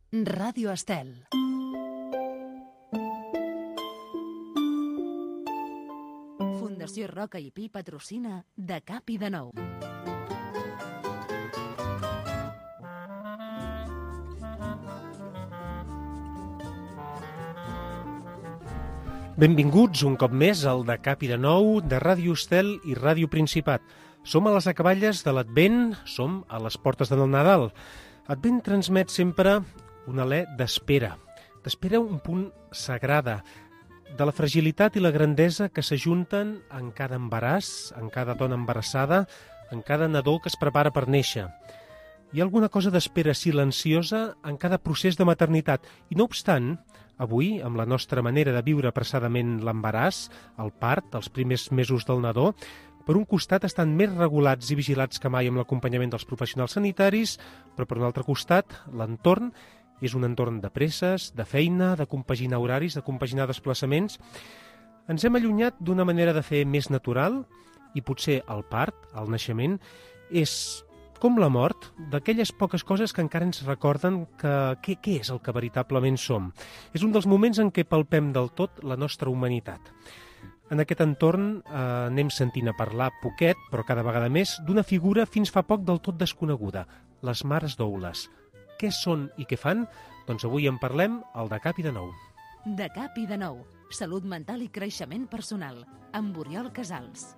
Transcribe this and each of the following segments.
Ràdio Estel. Fundació Roca i Pi patrocina De Cap i de Nou. Benvinguts un cop més al De Cap i de Nou de Ràdio Estel i Ràdio Principat. Som a les acaballes de l'Advent, som a les portes del Nadal. Advent transmet sempre un alè d'espera. D'espera un punt sagrada, de la fragilitat i la grandesa que s'ajunten en cada embaràs, en cada dona embarassada, en cada nadó que es prepara per néixer. Hi ha alguna cosa d'espera silenciosa en cada procés de maternitat. I no obstant, avui, amb la nostra manera de viure apressadament l'embaràs, el part, els primers mesos del nadó, per un costat estan més regulats i vigilats que mai amb l'acompanyament dels professionals sanitaris, però per un altre costat, l'entorn és un entorn de presses, de feina, de compaginar horaris, de compaginar desplaçaments. Ens hem allunyat d'una manera de fer més natural i potser el part, el naixement, és com la mort, d'aquelles poques coses que encara ens recorden què és el que veritablement som. És un dels moments en què palpem del tot la nostra humanitat. En aquest entorn anem sentint a parlar poquet, però cada vegada més, d'una figura fins fa poc del tot desconeguda, les mares doules. Què són i què fan? Doncs avui en parlem al De Cap i de Nou. De Cap i de Nou. Salut mental i creixement personal. Amb Oriol Casals.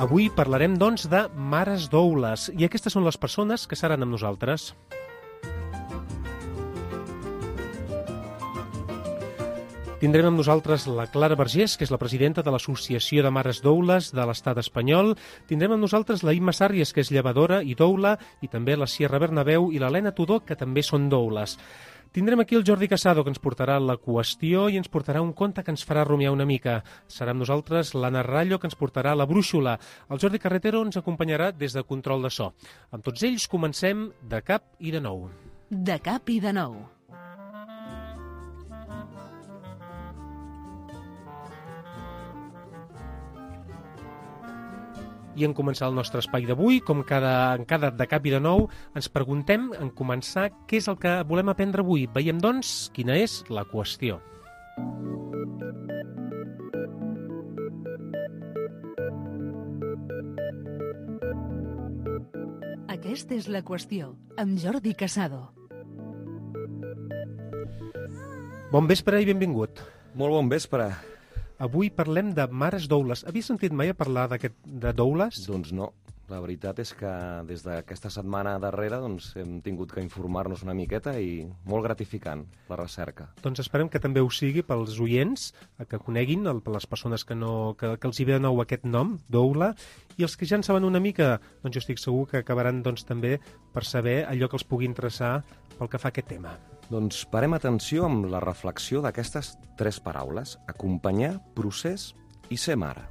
Avui parlarem, doncs, de mares doules, i aquestes són les persones que seran amb nosaltres. Tindrem amb nosaltres la Clara Vergés, que és la presidenta de l'Associació de Mares Doules de l'Estat espanyol. Tindrem amb nosaltres la Imma Sàrries, que és llevadora i doula, i també la Sierra Bernabéu i l'Helena Tudó, que també són doules. Tindrem aquí el Jordi Casado, que ens portarà la qüestió i ens portarà un conte que ens farà rumiar una mica. Serà amb nosaltres l'Anna Rallo, que ens portarà la brúixola. El Jordi Carretero ens acompanyarà des de control de so. Amb tots ells comencem De Cap i de Nou. De Cap i de Nou. I en començar el nostre espai d'avui, com en cada De Cap i de Nou, ens preguntem, en començar, què és el que volem aprendre avui. Veiem, doncs, quina és la qüestió. Aquesta és la qüestió, amb Jordi Casado. Bon vespre i benvingut. Molt bon vespre. Avui parlem de mares doules. Havies sentit mai a parlar de doules? Doncs no. La veritat és que des d'aquesta setmana darrere hem tingut que informar-nos una miqueta i molt gratificant la recerca. Doncs esperem que també ho sigui pels oients, que coneguin les persones que els hi ve de nou aquest nom, doula, i els que ja en saben una mica, doncs jo estic segur que acabaran també per saber allò que els pugui interessar pel que fa a aquest tema. Doncs parem atenció amb la reflexió d'aquestes 3 paraules: acompanyar, procés i ser mare.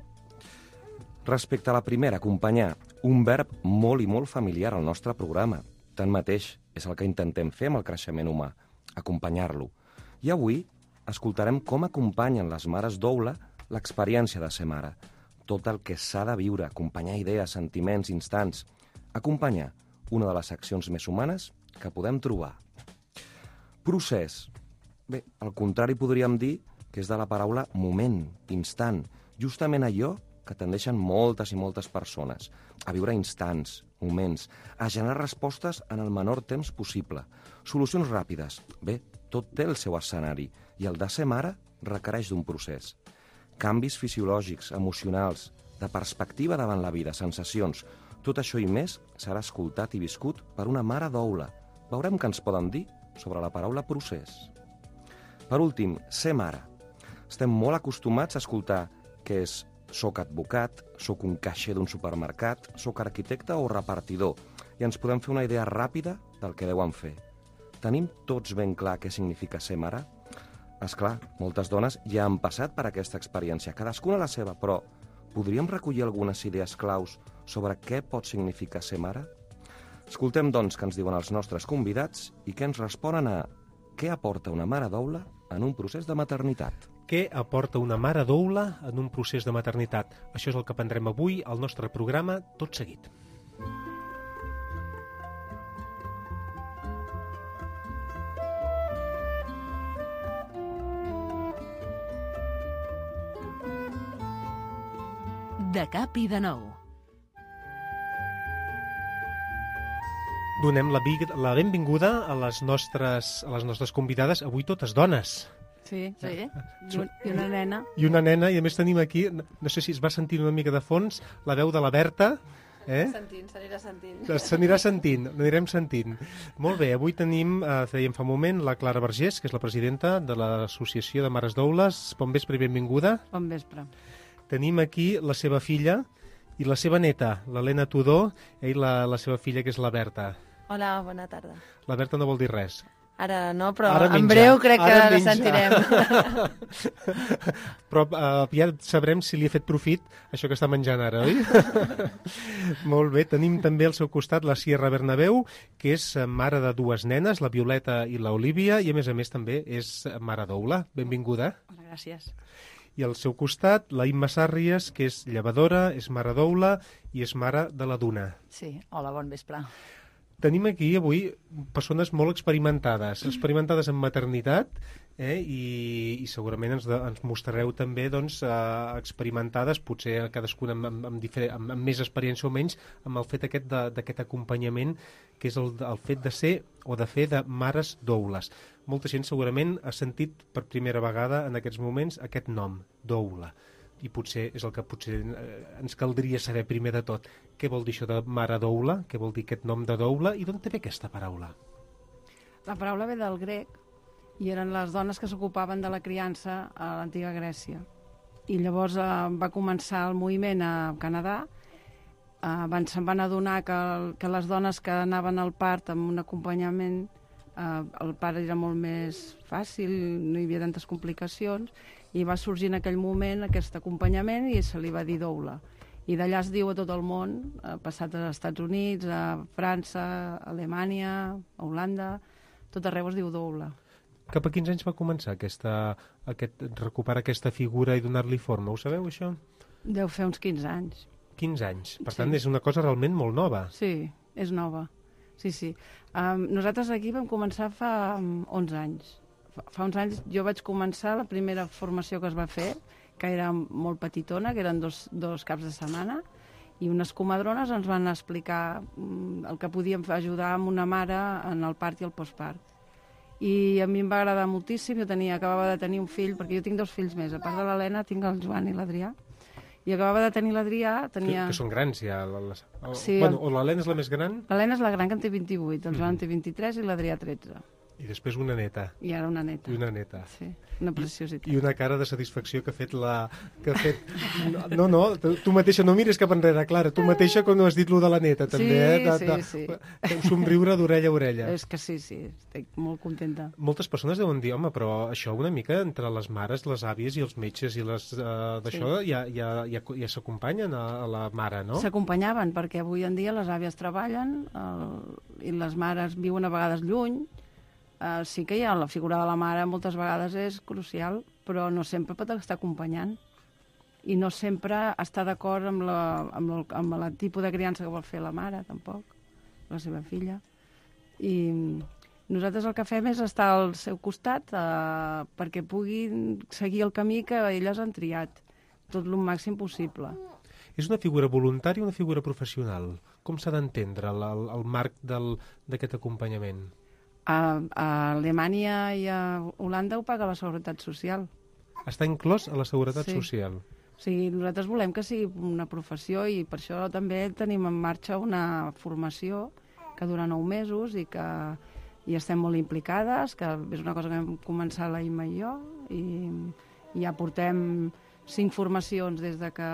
Respecte a la primera, acompanyar, un verb molt i molt familiar al nostre programa. Tanmateix, és el que intentem fer amb el creixement humà, acompanyar-lo. I avui escoltarem com acompanyen les mares doula l'experiència de ser mare. Tot el que s'ha de viure, acompanyar idees, sentiments, instants. Acompanyar, una de les accions més humanes que podem trobar. Procés. Bé, al contrari podríem dir que és de la paraula moment, instant, justament allò que tendeixen moltes i moltes persones, a viure instants, moments, a generar respostes en el menor temps possible, solucions ràpides. Bé, tot té el seu escenari, i el de ser mare requereix d'un procés. Canvis fisiològics, emocionals, de perspectiva davant la vida, sensacions, tot això i més serà escoltat i viscut per una mare doula. Veurem què ens poden dir sobre la paraula procés. Per últim, ser mare. Estem molt acostumats a escoltar que és soc advocat, soc un caixer d'un supermercat, soc arquitecte o repartidor, i ens podem fer una idea ràpida del que deuen fer. Tenim tots ben clar què significa ser mare? És clar, moltes dones ja han passat per aquesta experiència, cadascuna la seva, però podríem recollir algunes idees claus sobre què pot significar ser mare? Escoltem, doncs, què ens diuen els nostres convidats i què ens responen a què aporta una mare doula en un procés de maternitat. què aporta una mare doula en un procés de maternitat. Això és el que aprendrem avui al nostre programa tot seguit. De cap i de nou. Donem la benvinguda a les nostres convidades, avui totes dones. Sí. I una nena. I una nena, i a més tenim aquí, no sé si es va sentir una mica de fons, la veu de la Berta. S'anirà sentint. S'anirà sentint, n'anirem sentint. Molt bé, avui tenim, dèiem fa un moment, la Clara Vergés, que és la presidenta de l'Associació de Mares Doules. Bon vespre i benvinguda. Bon vespre. Tenim aquí la seva filla i la seva neta, l'Helena Tudor, i la seva filla, que és la Berta. Hola, bona tarda. La Berta no vol dir res. Ara no, però Ara en menja. breu crec que Ara la menja. sentirem. Però ja sabrem si li ha fet profit això que està menjant ara, oi? Molt bé, tenim també al seu costat la Sierra Bernabéu, que és mare de dues nenes, la Violeta i l'Olívia, i a més també és mare doula. Benvinguda. Hola, gràcies. I al seu costat, la Imma Sàrries, que és llevadora, és mare doula i és mare de la Duna. Sí, hola, bon vespre. Tenim aquí avui persones molt experimentades en maternitat, i segurament ens mostrareu també experimentades, potser cadascuna amb més experiència o menys, amb el fet d'aquest acompanyament, que és el fet de ser o de fer de mares doules. Molta gent segurament ha sentit per primera vegada en aquests moments aquest nom, doula. I potser és el que ens caldria saber primer de tot. Què vol dir això de mare doula? Què vol dir aquest nom de doula? I d'on té ve aquesta paraula? La paraula ve del grec i eren les dones que s'ocupaven de la criança a l'antiga Grècia. I llavors va començar el moviment a Canadà. Se'n van adonar que les dones que anaven al part amb un acompanyament, el part era molt més fàcil, no hi havia tantes complicacions, i va sorgir en aquell moment aquest acompanyament i se li va dir doula. I d'allà es diu a tot el món, ha passat als Estats Units, a França, a Alemanya, a Holanda, tot arreu es diu doula. Cap a quins anys va començar recuperar aquesta figura i donar-li forma? Ho sabeu, això? Deu fer uns 15 anys. 15 anys. Per tant, és una cosa realment molt nova. Sí, és nova. Sí. Nosaltres aquí vam començar fa 11 anys. Fa uns anys jo vaig començar la primera formació que es va fer, que era molt petitona, que eren dos caps de setmana, i unes comadrones ens van explicar el que podíem ajudar amb una mare en el part i el postpart. I a mi em va agradar moltíssim, acabava de tenir un fill, perquè jo tinc 2 fills més, a part de l'Helena tinc el Joan i l'Adrià, i acabava de tenir l'Adrià, tenia... Que són grans ja. Sí, o l'Helena és la més gran? L'Helena és la gran, que en té 28, el Joan en té 23 i l'Adrià 13. I després una neta. I ara una neta. I una neta. Sí, una preciositat. I una cara de satisfacció que ha fet la... No, tu mateixa no mires cap enrere, Clara, tu mateixa com no has dit lo de la neta, també, Sí. Un somriure d'orella a orella. És que sí, estic molt contenta. Moltes persones deuen dir, home, però això una mica entre les mares, les àvies i els metges i les d'això ja s'acompanyen a la mare, no? S'acompanyaven, perquè avui en dia les àvies treballen i les mares viuen a vegades lluny. Sí que la figura de la mare moltes vegades és crucial, però no sempre pot estar acompanyant. I no sempre està d'acord amb el tipus de criança que vol fer la mare, tampoc, la seva filla. I nosaltres el que fem és estar al seu costat perquè puguin seguir el camí que elles han triat, tot el màxim possible. És una figura voluntària o una figura professional? Com s'ha d'entendre el marc d'aquest acompanyament? A Alemanya i a Holanda ho paga la Seguretat Social. Està inclòs a la Seguretat Social? O sigui, nosaltres volem que sigui una professió i per això també tenim en marxa una formació que dura 9 mesos i que hi estem molt implicades, que és una cosa que vam començar la Imma i jo, i ja portem 5 formacions des de que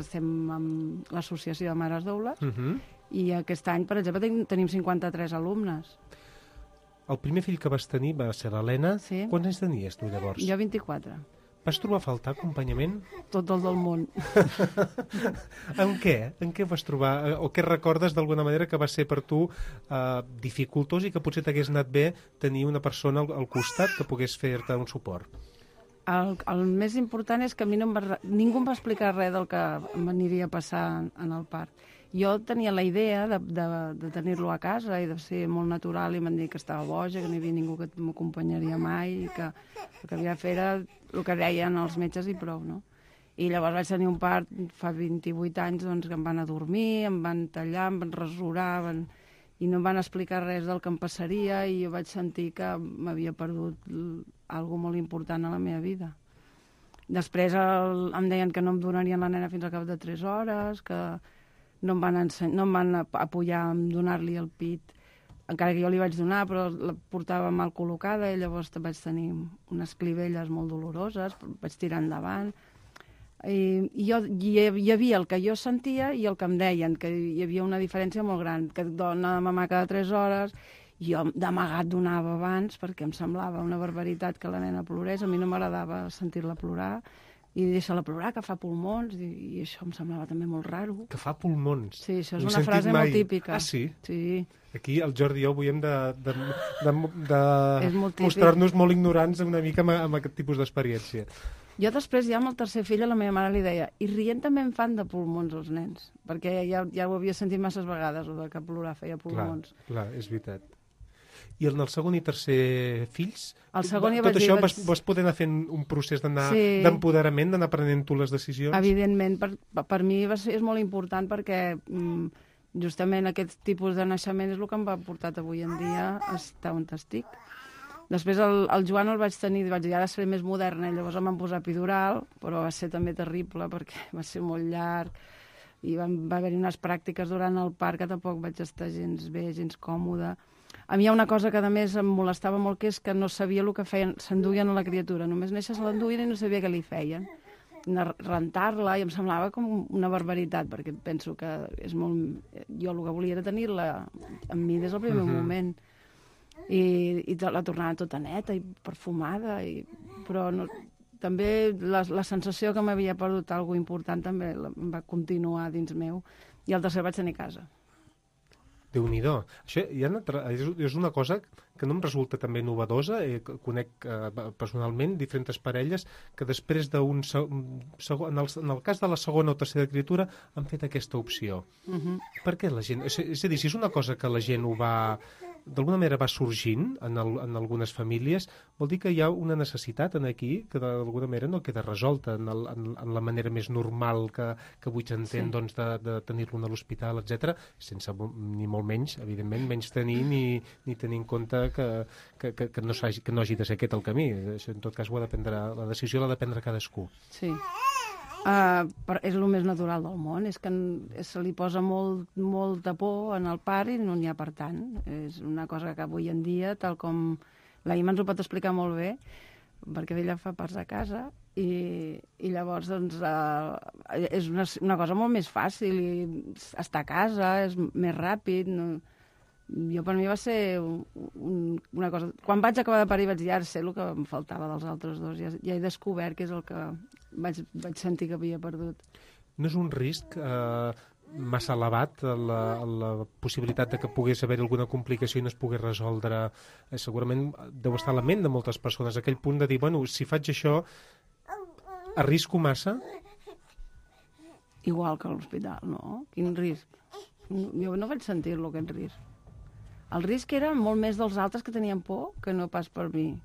estem amb l'Associació de Mares Doules, i aquest any, per exemple, tenim 53 alumnes. El primer fill que vas tenir va ser l'Helena. Sí. Quants anys tenies tu llavors? Jo 24. Vas trobar a faltar acompanyament? Tot el del món. En què? En què vas trobar? O què recordes d'alguna manera que va ser per tu dificultós i que potser t'hagués anat bé tenir una persona al costat que pogués fer-te un suport? El més important és que a mi ningú em va explicar res del que m'aniria a passar en el part. Jo tenia la idea de tenir-lo a casa i de ser molt natural, i m'han dit que estava boja, que no hi havia ningú que m'acompanyaria mai, i que el que havia de fer era el que deien els metges i prou, no? I llavors vaig tenir un part fa 28 anys, doncs, que em van a dormir, em van tallar, em van rasurar, i no em van explicar res del que em passaria, i jo vaig sentir que m'havia perdut alguna molt important a la meva vida. Després em deien que no em donarien la nena fins al cap de 3 hores, que no em van apoyar en donar-li el pit, encara que jo li vaig donar, però la portava mal col·locada, i llavors vaig tenir unes clivelles molt doloroses, vaig tirar endavant. Hi havia el que jo sentia i el que em deien, que hi havia una diferència molt gran, que dona de mamar cada 3 hores, jo d'amagat donava abans perquè em semblava una barbaritat que la nena plorés, a mi no m'agradava sentir-la plorar, i deixa-la plorar, que fa pulmons, i això em semblava també molt raro. Que fa pulmons? Sí, això és una frase molt típica. Ah, sí? Sí. Aquí el Jordi i jo avui hem de molt mostrar-nos molt ignorants una mica amb aquest tipus d'experiència. Jo després, ja amb el tercer fill, a la meva mare li deia, i rient també em fan de pulmons els nens, perquè ja ho havia sentit masses vegades, o de que plorar feia pulmons. Clar, és veritat. I en el segon i tercer fills, tot això vas poder anar fent un procés d'empoderament, d'anar prenent tu les decisions? Evidentment, per mi és molt important, perquè justament aquest tipus de naixement és el que em va portar avui en dia a estar on estic. Després el Joan el vaig tenir, vaig dir, ara seré més moderna, i llavors em van posar epidural, però va ser també terrible perquè va ser molt llarg, i va haver-hi unes pràctiques durant el part que tampoc vaig estar gens bé, gens còmoda. A mi hi ha una cosa que a més em molestava molt, que és que no sabia el que feien, s'enduien a la criatura, només néixer se l'enduien i no sabia què li feien. Rentar-la, i em semblava com una barbaritat, perquè penso que és molt... Jo el que volia era tenir-la amb mi des del primer moment. I la tornava tota neta i perfumada, però també la sensació que m'havia perdut alguna important també em va continuar dins meu, i al tercer vaig tenir casa. Déu-n'hi-do. Això és una cosa que no em resulta també novedosa. Conec personalment diferents parelles que després d'un segon... En el cas de la segona o tercera criatura han fet aquesta opció. Per què la gent... És a dir, si és una cosa que la gent ho va... d'alguna manera va sorgint en algunes famílies, vol dir que hi ha una necessitat aquí que d'alguna manera no queda resolta en la manera més normal que avui s'entén, doncs, de tenir-lo a l'hospital, etc, sense ni molt menys, evidentment, menys tenir ni tenir en compte que no hagi de ser aquest el camí. Això, en tot cas, la decisió l'ha de prendre cadascú. Sí. És el més natural del món, és que se li posa molta por en el part i no n'hi ha per tant. És una cosa que avui en dia, tal com la Ima ens ho pot explicar molt bé, perquè ella fa parts a casa, i llavors doncs, és una cosa molt més fàcil, i estar a casa és més ràpid. Jo, per mi, va ser una cosa... Quan vaig acabar de parir vaig dir, ara sé el que em faltava dels altres dos, ja he descobert que és el que vaig sentir que havia perdut. No és un risc massa elevat la possibilitat de que pogués haver alguna complicació i no es pogués resoldre? Segurament deu estar a la ment de moltes persones aquell punt de dir, bueno, si faig això, arrisco massa? Igual que a l'hospital, no? Quin risc? Jo no vaig sentir-lo, aquest risc. El risc era molt més dels altres que tenien por que no pas per mi.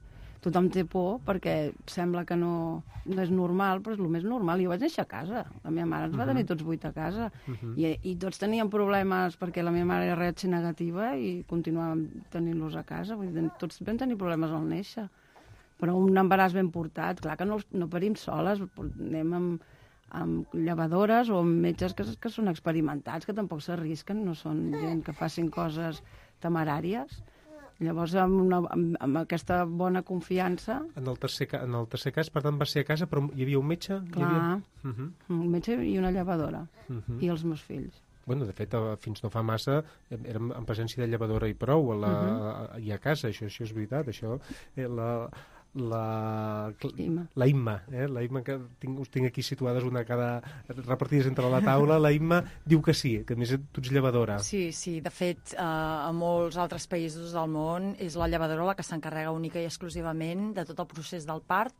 Tothom té por perquè sembla que no és normal, però és el més normal. Jo vaig néixer a casa. La meva mare ens va tenir tots 8 a casa. I tots teníem problemes perquè la meva mare era RH negativa i continuàvem tenint-los a casa. Vull dir, tots vam tenir problemes al néixer. Però un embaràs ben portat, clar que no parim soles, anem amb llevadores o amb metges que són experimentats, que tampoc s'arrisquen, no són gent que facin coses temeràries. Llavors, amb aquesta bona confiança... En el tercer cas, per tant, va ser a casa, però hi havia un metge? Clar, un metge i una llevadora, i els meus fills. Bueno, de fet, fins no fa massa érem en presència de llevadora i prou i a casa, això és veritat, això... La Imma, la Imma, que us tinc aquí situades una cada repartides entre la taula. La Imma diu que sí, que a més tu ets llevadora. Sí, de fet, a molts altres països del món és la llevadora la que s'encarrega única i exclusivament de tot el procés del part,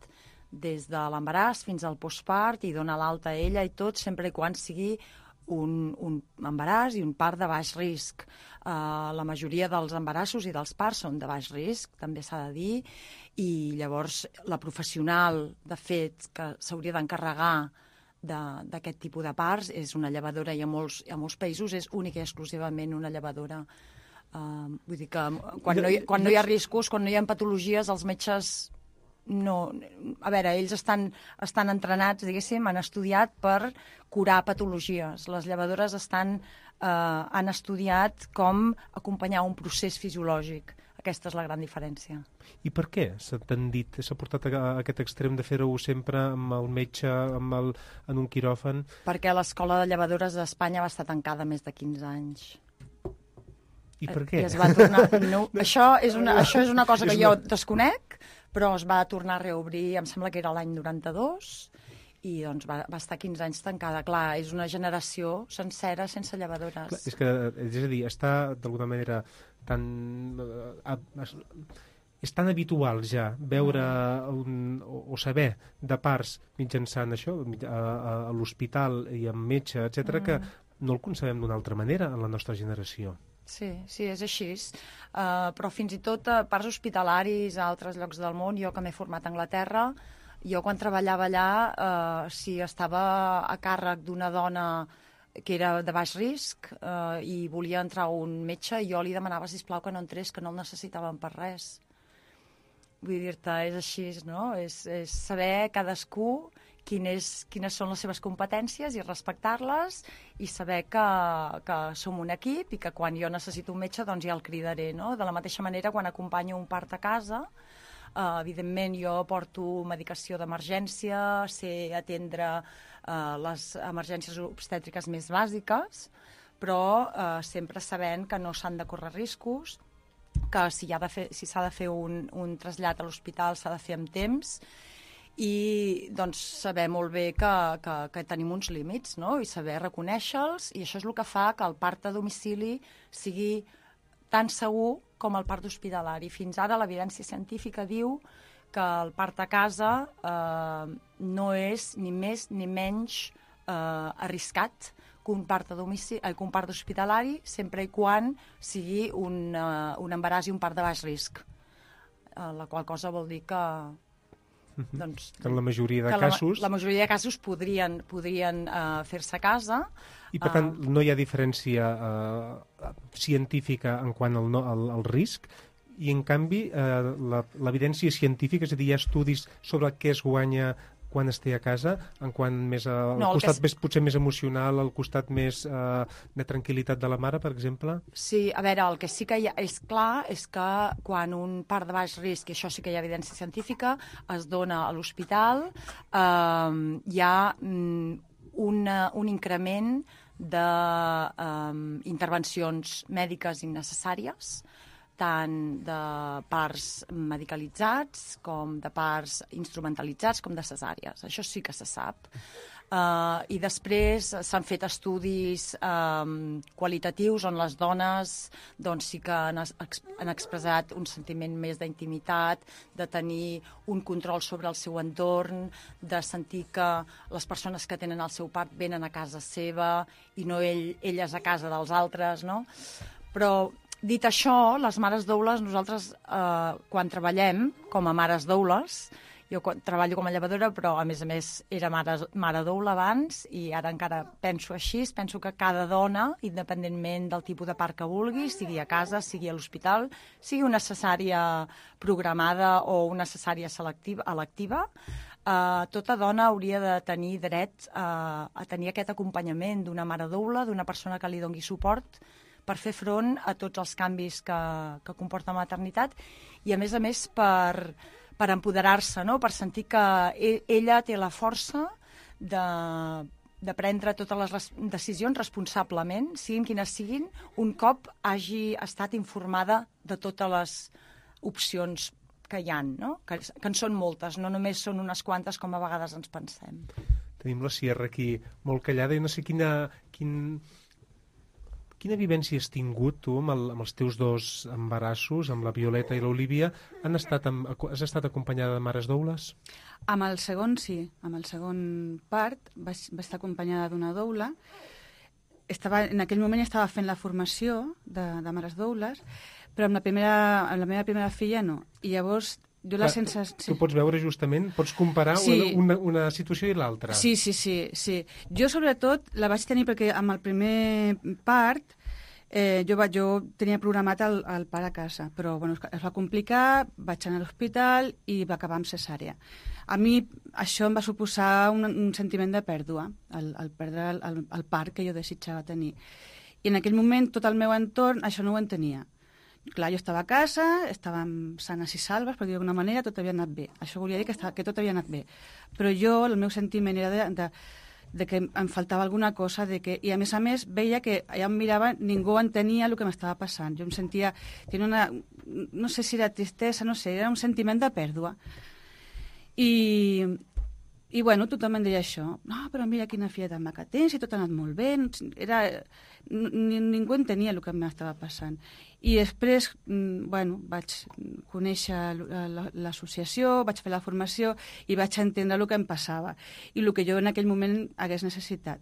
des de l'embaràs fins al postpart i dona l'alta a ella i tot, sempre i quan sigui un embaràs i un part de baix risc. La majoria dels embarassos i dels parts són de baix risc, també s'ha de dir, i llavors la professional, de fet, que s'hauria d'encarregar d'aquest tipus de parts és una llevadora, i a molts països és única i exclusivament una llevadora. Vull dir que quan no hi ha riscos, quan no hi ha patologies, els metges no... A veure, ells estan entrenats, diguéssim, han estudiat per curar patologies. Les llevadores han estudiat com acompanyar un procés fisiològic. Aquesta és la gran diferència. I per què s'ha portat a aquest extrem de fer-ho sempre amb el metge, en un quiròfan? Perquè l'escola de llevadores d'Espanya va estar tancada més de 15 anys. I per què? I es va tornar... No, això és una cosa que jo desconec, però es va tornar a reobrir, em sembla que era l'any 92, i doncs va estar 15 anys tancada. Clar, és una generació sencera sense llevadores. Clar, és a dir, està d'alguna manera és tan habitual ja veure o saber de parts mitjançant això, a l'hospital i amb metge, etc., que no el concebem d'una altra manera en la nostra generació. Sí, és així. Però fins i tot a parts hospitalaris a altres llocs del món, jo que m'he format a Anglaterra, jo quan treballava allà, si estava a càrrec d'una dona que era de baix risc i volia entrar un metge, jo li demanava, sisplau, que no entrés, que no el necessitaven per res. Vull dir-te, és així, no? És saber cadascú quines són les seves competències i respectar-les i saber que som un equip i que quan jo necessito un metge doncs ja el cridaré, no? De la mateixa manera, quan acompanyo un part a casa, evidentment jo porto medicació d'emergència, sé atendre les emergències obstètriques més bàsiques, però sempre sabent que no s'han de córrer riscos, que si s'ha de fer un trasllat a l'hospital s'ha de fer amb temps, i doncs saber molt bé que tenim uns límits, no? I saber reconèixer-los, i això és el que fa que el part a domicili sigui tan segur com el part hospitalari. Fins ara l'evidència científica diu que el part a casa no és ni més ni menys arriscat que un part a domicili, que un part hospitalari, sempre i quan sigui un embaràs i un part de baix risc. La qual cosa vol dir que doncs, que en la majoria de casos... La majoria de casos podrien fer-se a casa. I per tant no hi ha diferència científica en quant al risc, i en canvi l'evidència científica, és a dir, hi ha estudis sobre què es guanya quan es té a casa, en quant més al costat potser més emocional, al costat més de tranquil·litat de la mare, per exemple? Sí, a veure, el que sí que és clar és que quan un part de baix risc, i això sí que hi ha evidència científica, es dona a l'hospital, hi ha un increment d'intervencions mèdiques innecessàries, tant de parts medicalitzats com de parts instrumentalitzats com de cesàries. Això sí que se sap. I després s'han fet estudis qualitatius on les dones doncs, sí que han expressat un sentiment més d'intimitat, de tenir un control sobre el seu entorn, de sentir que les persones que tenen el seu part venen a casa seva i no elles a casa dels altres, no? Però dit això, les mares doules, nosaltres quan treballem com a mares doules, jo treballo com a llevadora, però a més era mare doula abans i ara encara penso així, penso que cada dona, independentment del tipus de part que vulgui, sigui a casa, sigui a l'hospital, sigui una cesària programada o una cesària electiva, tota dona hauria de tenir dret a tenir aquest acompanyament d'una mare doula, d'una persona que li doni suport per fer front a tots els canvis que comporta la maternitat i, a més per empoderar-se, no? Per sentir que ella té la força de prendre totes les decisions responsablement, siguin quines siguin, un cop hagi estat informada de totes les opcions que hi ha, no? Que en són moltes, no només són unes quantes com a vegades ens pensem. Tenim la Sierra aquí molt callada i no sé quin Quina vivència has tingut tu amb els teus dos embarassos, amb la Violeta i l'Olivia? Has estat acompanyada de mares doules? Amb el segon, sí. Amb el segon part vaig estar acompanyada d'una doula. En aquell moment estava fent la formació de mares doules, però amb la meva primera filla no. I llavors jo la sensació... Tu pots veure justament, pots comparar una situació i l'altra. Sí. Jo sobretot la vaig tenir perquè amb el primer part jo tenia programat el part a casa, però bueno, es va complicar, vaig anar a l'hospital i va acabar amb cesària. A mi això em va suposar un sentiment de pèrdua, el perdre el part que jo desitjava tenir. I en aquell moment tot el meu entorn això no ho entenia. Clar, jo estava a casa, estàvem sanes i salves, per dir d'alguna manera, tot havia anat bé. Això volia dir que tot havia anat bé. Però jo, el meu sentiment era de que em faltava alguna cosa, i a més veia que allà em mirava, ningú entenia el que m'estava passant. Jo em sentia, no sé si era tristesa, no sé, era un sentiment de pèrdua. I bueno, tothom em deia això. No, però mira quina filla tan maca tens, i tot ha anat molt bé. Ningú entenia el que m'estava passant. I després, bueno, vaig conèixer l'associació, vaig fer la formació i vaig entendre el que em passava i el que jo en aquell moment hagués necessitat.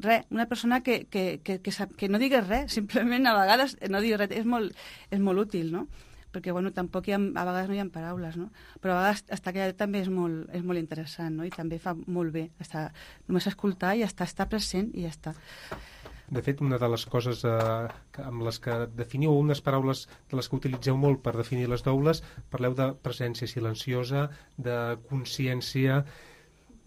Res, una persona que no digués res, simplement a vegades no digués res, és molt útil, no? Perquè, bueno, tampoc a vegades no hi ha paraules, no? Però a vegades estar callat també és molt interessant, no? I també fa molt bé només escoltar i estar present i ja està. De fet, una de les coses amb les que definiu, unes paraules de les que utilitzeu molt per definir les doules, parleu de presència silenciosa, de consciència,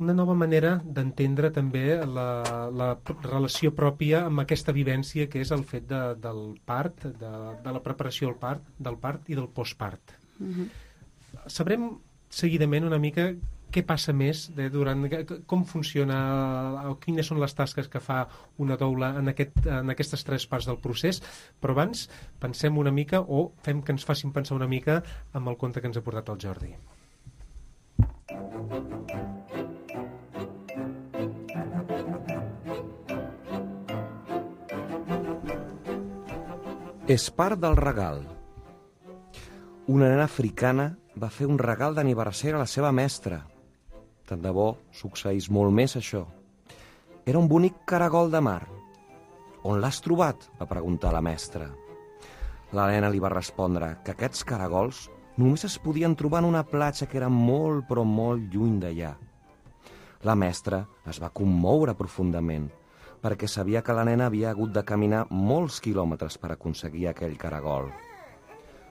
una nova manera d'entendre també la relació pròpia amb aquesta vivència que és el fet del part, de la preparació del part i del postpart. Sabrem seguidament una mica què passa més com funciona, quines són les tasques que fa una doula en aquestes 3 parts del procés, però abans pensem una mica o fem que ens facin pensar una mica amb el conte que ens ha portat el Jordi. És part del regal. Una nena africana va fer un regal d'aniversari a la seva mestra. Tant de bo succeís molt més això. Era un bonic caragol de mar. On l'has trobat? Va preguntar la mestra. La nena li va respondre que aquests caragols només es podien trobar en una platja que era molt, però molt lluny d'allà. La mestra es va commoure profundament, perquè sabia que la nena havia hagut de caminar molts quilòmetres per aconseguir aquell caragol.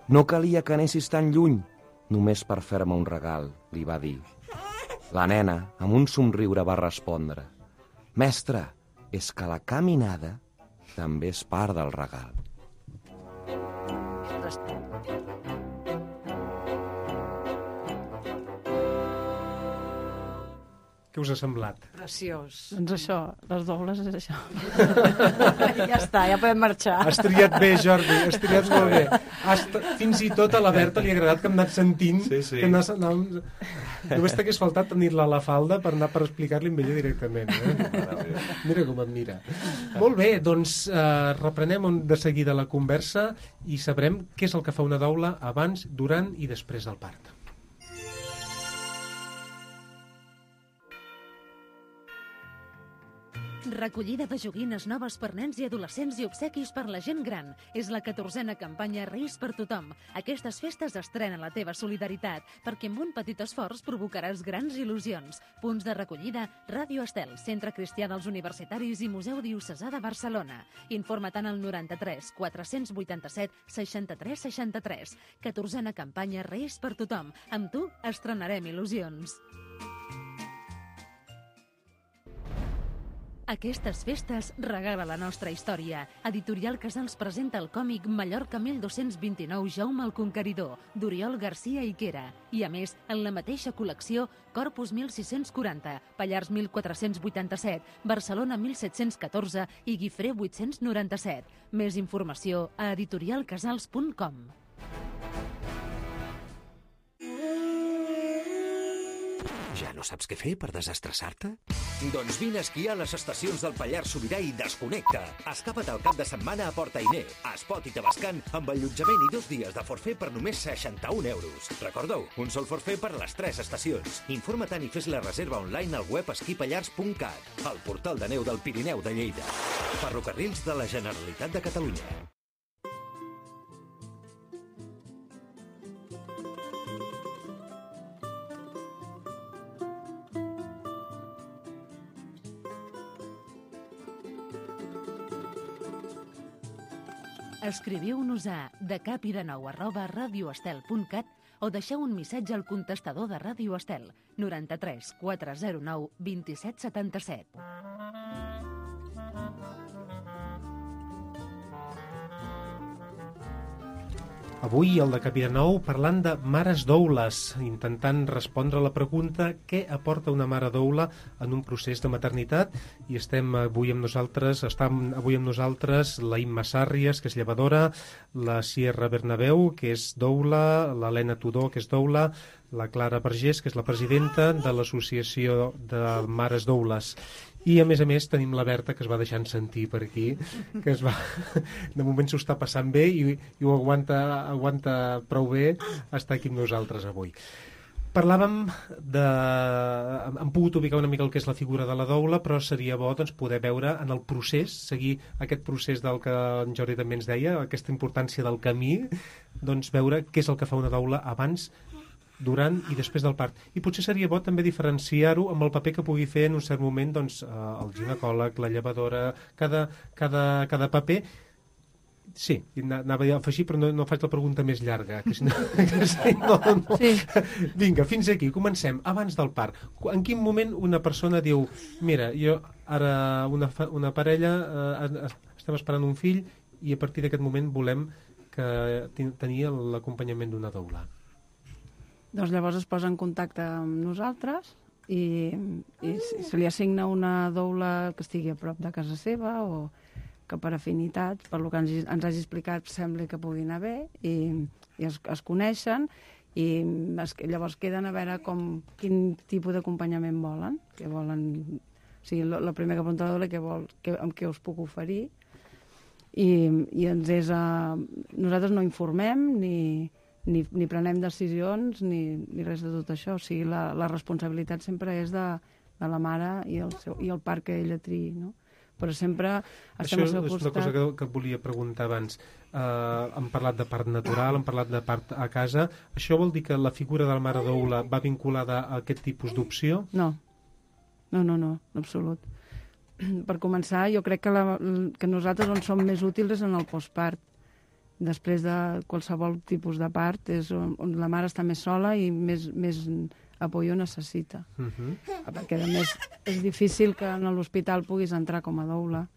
No calia que anessis tan lluny, només per fer-me un regal, li va dir. La nena, amb un somriure, va respondre: «Mestre, és que la caminada també és part del regal». Què us ha semblat? Preciós. Doncs això, les doules és això. Ja està, ja podem marxar. Has triat bé, Jordi, has triat molt bé. Fins i tot a la Berta li ha agradat que hem anat sentint. Sí. Que només t'hagués faltat tenir-la a la falda per explicar-li amb ella directament. Mira com em mira. Molt bé, doncs reprenem de seguida la conversa i sabrem què és el que fa una doula abans, durant i després del part. Recollida de joguines noves per nens i adolescents i obsequis per la gent gran. És la 14a campanya Reis per tothom. Aquestes festes estrenen la teva solidaritat, perquè amb un petit esforç provocaràs grans il·lusions. Punts de recollida: Ràdio Estel, Centre Cristià dels Universitaris i Museu Diocesà de Barcelona. Informa't al 93 487 63 63. 14a campanya Reis per tothom. Amb tu estrenarem il·lusions. Aquestes festes regala la nostra història. Editorial Casals presenta el còmic Mallorca 1229 Jaume el Conqueridor, d'Oriol Garcia Higuera. I a més, en la mateixa col·lecció, Corpus 1640, Pallars 1487, Barcelona 1714 i Guifré 897. Més informació a editorialcasals.com. Ja no saps què fer per desestressar-te? Doncs vine a esquiar a les estacions del Pallars Sobirà i desconnecta. Escapa't el cap de setmana a Port Ainé, a Espot i Tavascan, amb allotjament i 2 dies de forfait per només 61 euros. Recordeu, un sol forfait per les 3 estacions. Informa-te'n i fes la reserva online al web esquipallars.cat, el portal de neu del Pirineu de Lleida. Ferrocarrils de la Generalitat de Catalunya. Escriviu-nos a decapidenou@radioestel.cat o deixeu un missatge al contestador de Ràdio Estel 93 409 27 77. Avui, al Decapí de Nou, parlant de mares doules, intentant respondre a la pregunta què aporta una mare doula en un procés de maternitat. I estem avui amb nosaltres la Imma Sàrries, que és llevadora, la Sierra Bernabeu, que és doula, l'Helena Tudor, que és doula, la Clara Vergés, que és la presidenta de l'Associació de Mares Doules. I, a més, tenim la Berta, que es va deixant sentir per aquí, que de moment s'ho està passant bé i ho aguanta prou bé estar aquí amb nosaltres avui. Parlàvem hem pogut ubicar una mica el que és la figura de la doula, però seria bo poder veure en el procés, seguir aquest procés del que en Jordi també ens deia, aquesta importància del camí, veure què és el que fa una doula abans, durant i després del part. I potser seria bo també diferenciar-ho amb el paper que pugui fer en un cert moment el ginecòleg, la llevadora, cada paper. Sí, anava a afegir, però no faig la pregunta més llarga. Que si no... Sí. Vinga, fins aquí, comencem. Abans del part, en quin moment una persona diu mira, jo ara una parella estem esperant un fill i a partir d'aquest moment volem tenir l'acompanyament d'una doula? Doncs llavors es posa en contacte amb nosaltres i se li assigna una doula que estigui a prop de casa seva o que per afinitat, per lo que ens hagi explicat, sembla que pugui anar bé i es coneixen i llavors queden a veure quin tipus d'acompanyament volen. O sigui, la primera que pregunta la doula amb què us puc oferir i nosaltres no informem ni prenem decisions ni res de tot això. O sigui, la responsabilitat sempre és de la mare i el part que ella triï, no? Però sempre estem al seu costat. Això és una cosa que et volia preguntar abans. Hem parlat de part natural, hem parlat de part a casa. Això vol dir que la figura de la mare doula va vinculada a aquest tipus d'opció? No, en absolut. Per començar, jo crec que nosaltres on som més útils és en el postpart. Després de qualsevol tipus de part és on la mare està més sola i més apoyo necessita. Perquè a més és difícil que en l'hospital puguis entrar com a doula,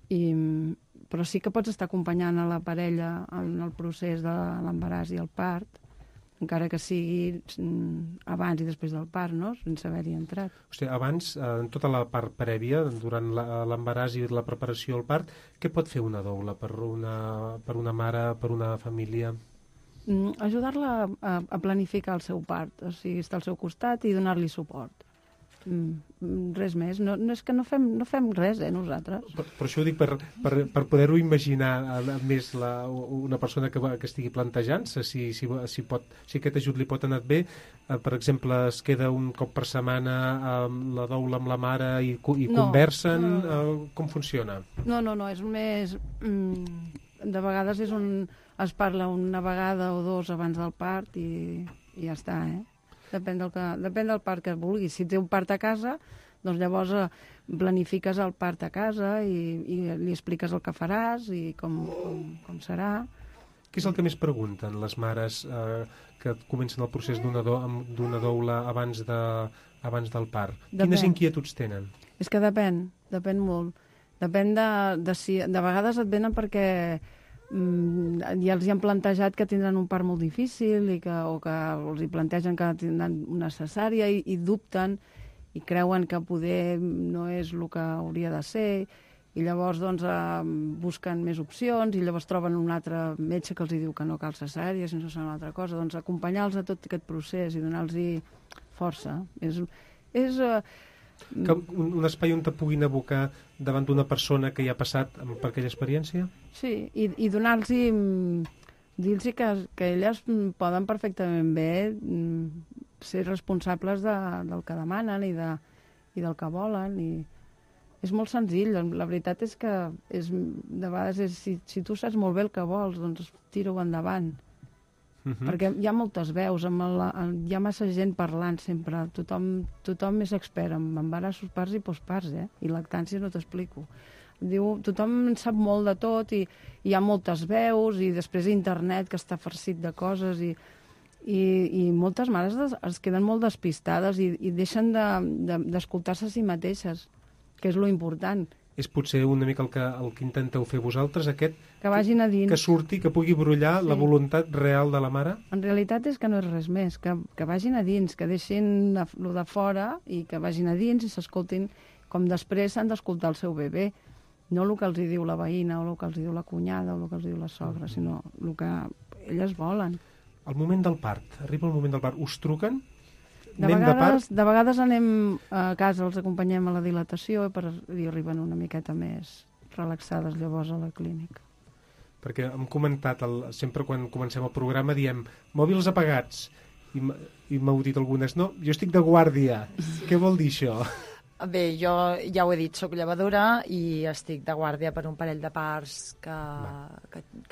però sí que pots estar acompanyant a la parella en el procés de l'embaràs i el part, encara que sigui abans i després del part, no? Sense haver-hi entrat. O sigui, abans, en tota la part prèvia, durant l'embaràs i la preparació al part, què pot fer una doula per una mare, per una família? Ajudar-la a planificar el seu part, o sigui, estar al seu costat i donar-li suport. Res més. No és que no fem res, nosaltres. Per això ho dic, per poder-ho imaginar més una persona que estigui plantejant-se, si aquest ajut li pot anar bé. Per exemple, es queda un cop per setmana la doula amb la mare i conversen. Com funciona? No, és més... De vegades és es parla una vegada o dos abans del part i ja està, Depèn del part que vulguis. Si té un part a casa, doncs llavors planifiques el part a casa i li expliques el que faràs i com serà. Què és el que més pregunten les mares que comencen el procés d'una doula abans del part? Quines inquietuds tenen? És que depèn molt. Depèn de si... De vegades et venen perquè ja els hi han plantejat que tindran un part molt difícil o que els hi plantegen que tindran una cesària i dubten i creuen que poder no és el que hauria de ser i llavors busquen més opcions i llavors troben un altre metge que els diu que no cal cesària, si no serà una altra cosa. Doncs acompanyar-los a tot aquest procés i donar-los força. Que un espai on te puguin abocar davant d'una persona que hi ha passat per aquella experiència? Sí, i donar-los dir-los que elles poden perfectament bé ser responsables del que demanen i del que volen. I és molt senzill. La veritat és que de vegades si tu saps molt bé el que vols, doncs tira-ho endavant. Perquè hi ha moltes veus, hi ha massa gent parlant sempre, tothom és expert en embarassos, parts i postparts, i lactància no t'explico. Tothom en sap molt de tot i hi ha moltes veus i després internet que està farcit de coses i moltes mares es queden molt despistades i deixen d'escoltar-se a si mateixes, que és lo important. És potser una mica el que intenteu fer vosaltres, aquest... Que vagin a dins. Que surti, que pugui brollar la voluntat real de la mare? En realitat és que no és res més, que vagin a dins, que deixin lo de fora i que vagin a dins i s'escoltin com després s'han d'escoltar el seu bebè. No el que els diu la veïna o el que els diu la cunyada o el que els diu la sogra, sinó el que elles volen. El moment del part, arriba el moment del part. Us truquen? De vegades anem a casa, els acompanyem a la dilatació i arriben una miqueta més relaxades llavors a la clínica. Perquè hem comentat, sempre quan comencem el programa diem mòbils apagats i m'heu dit algunes, no, jo estic de guàrdia. Què vol dir això? Bé, jo ja ho he dit, soc llevadora i estic de guàrdia per un parell de parts que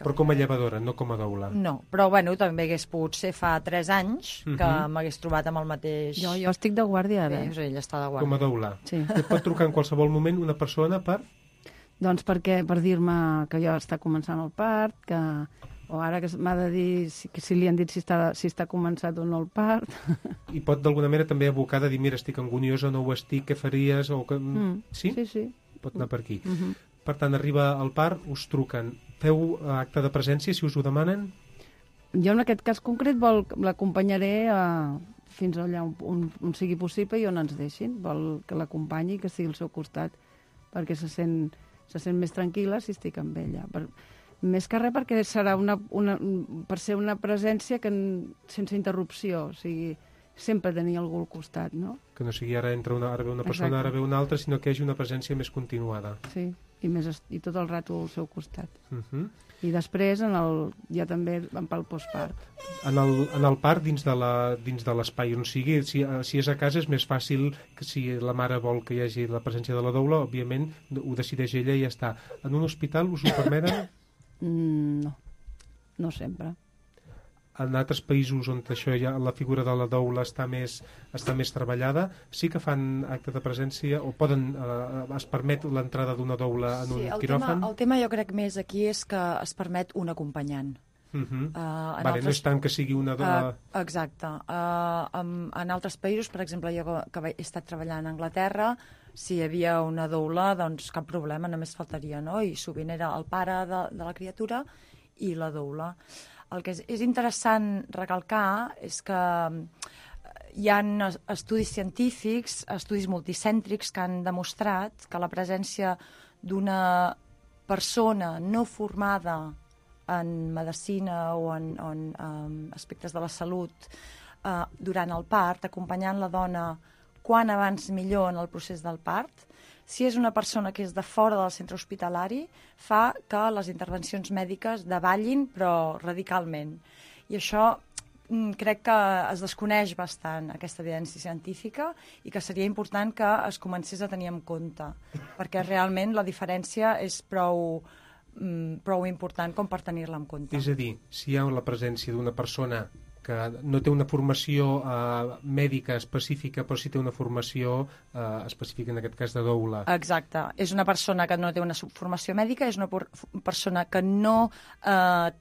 Però com a llevadora, no com a doula? No, però bueno, també hagués pogut ser fa 3 anys que m'hagués trobat amb el mateix... Jo estic de guàrdia ara. Bé, ella està de guàrdia. Com a doula? Sí. Et pot trucar en qualsevol moment una persona per... Doncs per dir-me que jo està començant el part, o ara que m'ha de dir si li han dit si està començat o no el part. I pot d'alguna manera també abocar de dir mira, estic angoniosa, no ho estic, què faries? O que... Sí? Sí. Pot anar per aquí. Per tant, arriba el part, us truquen. Feu acte de presència, si us ho demanen? Jo en aquest cas concret l'acompanyaré fins allà on sigui possible i on ens deixin. Vol que l'acompanyi, que estigui al seu costat, perquè se sent més tranquil·la si estic amb ella. Més que res perquè serà per ser una presència sense interrupció, o sigui, sempre tenir algú al costat, no? Que no sigui ara entra una persona, ara ve una altra, sinó que hi hagi una presència més continuada. Sí, i tot el rato al seu costat. I després ja també pel postpart. En el part, dins de l'espai on sigui, si és a casa és més fàcil que si la mare vol que hi hagi la presència de la doula, òbviament ho decideix ella i ja està. En un hospital us ho permeten? No sempre. En altres països on això la figura de la doula està més treballada, sí que fan acte de presència o es permet l'entrada d'una doula en un quiròfan? El tema jo crec més aquí és que es permet un acompanyant. No és tant que sigui una doula... Exacte. En altres països, per exemple, jo que he estat treballant a Anglaterra, si hi havia una doula, doncs cap problema, només faltaria, no? I sovint era el pare de la criatura i la doula. El que és interessant recalcar és que hi ha estudis científics, estudis multicèntrics que han demostrat que la presència d'una persona no formada en medicina o en aspectes de la salut durant el part, acompanyant la dona quan abans millor en el procés del part, si és una persona que és de fora del centre hospitalari, fa que les intervencions mèdiques davallin, però radicalment. I això crec que es desconeix bastant, aquesta evidència científica, i que seria important que es comencés a tenir en compte, perquè realment la diferència és prou important com per tenir-la en compte. És a dir, si hi ha la presència d'una persona que no té una formació mèdica específica, però sí té una formació específica, en aquest cas de doula. Exacte. És una persona que no té una formació mèdica, és una persona que no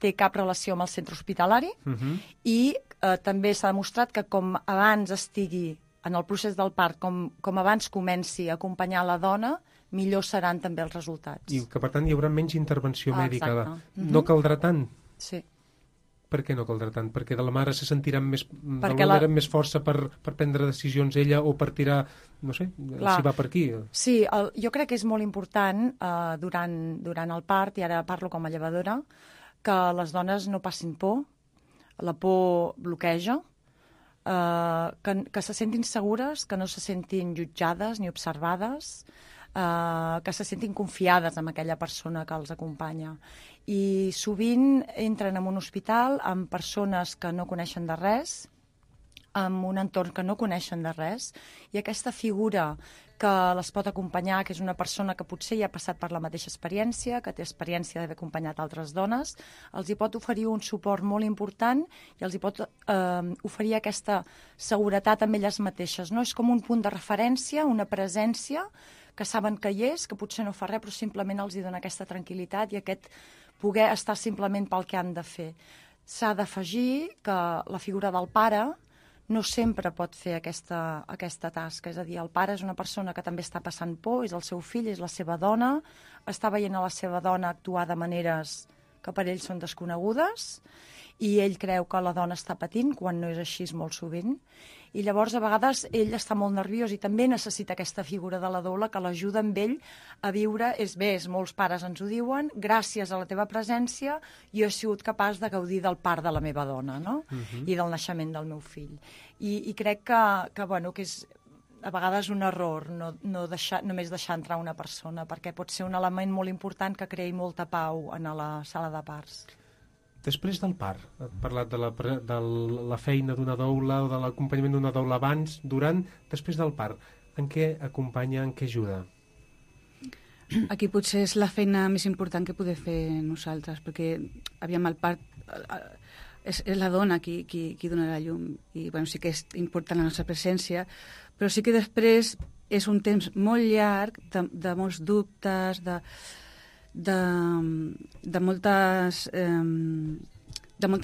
té cap relació amb el centre hospitalari i també s'ha demostrat que com abans estigui en el procés del part, com abans comenci a acompanyar la dona, millor seran també els resultats. I que, per tant, hi haurà menys intervenció mèdica. Exacte. No caldrà tant? Sí. Per què no caldrà tant? Perquè de la mare se sentirà més força per prendre decisions ella o per tirar, no sé, si va per aquí. Sí, jo crec que és molt important durant el part, i ara parlo com a llevadora, que les dones no passin por. La por bloqueja. que se sentin segures, que no se sentin jutjades ni observades, que se sentin confiades amb aquella persona que els acompanya. I sovint entren en un hospital amb persones que no coneixen de res, amb un entorn que no coneixen de res, i aquesta figura que les pot acompanyar, que és una persona que potser ja ha passat per la mateixa experiència, que té experiència d'haver acompanyat altres dones, els hi pot oferir un suport molt important i els hi pot oferir aquesta seguretat amb elles mateixes. No? És com un punt de referència, una presència que saben que hi és, que potser no fa res, però simplement els hi dona aquesta tranquil·litat i aquest poder estar simplement pel que han de fer. S'ha d'afegir que la figura del pare no sempre pot fer aquesta tasca. És a dir, el pare és una persona que també està passant por, és el seu fill, és la seva dona, està veient a la seva dona actuar de maneres que per ell són desconegudes, i ell creu que la dona està patint, quan no és així molt sovint. I llavors, a vegades, ell està molt nerviós i també necessita aquesta figura de la doula que l'ajuda amb ell a viure. Molts pares ens ho diuen, gràcies a la teva presència jo he sigut capaç de gaudir del part de la meva dona, no? I del naixement del meu fill. I crec que és a vegades un error només deixar entrar una persona, perquè pot ser un element molt important que creï molta pau en la sala de parts. Després del part, has parlat de la feina d'una doula o de l'acompanyament d'una doula abans, durant, després del part. En què acompanya, en què ajuda? Aquí potser és la feina més important que podem fer nosaltres, perquè aviam el part és la dona qui dona la llum, i bueno, sí que és important la nostra presència, però sí que després és un temps molt llarg de molts dubtes, de molta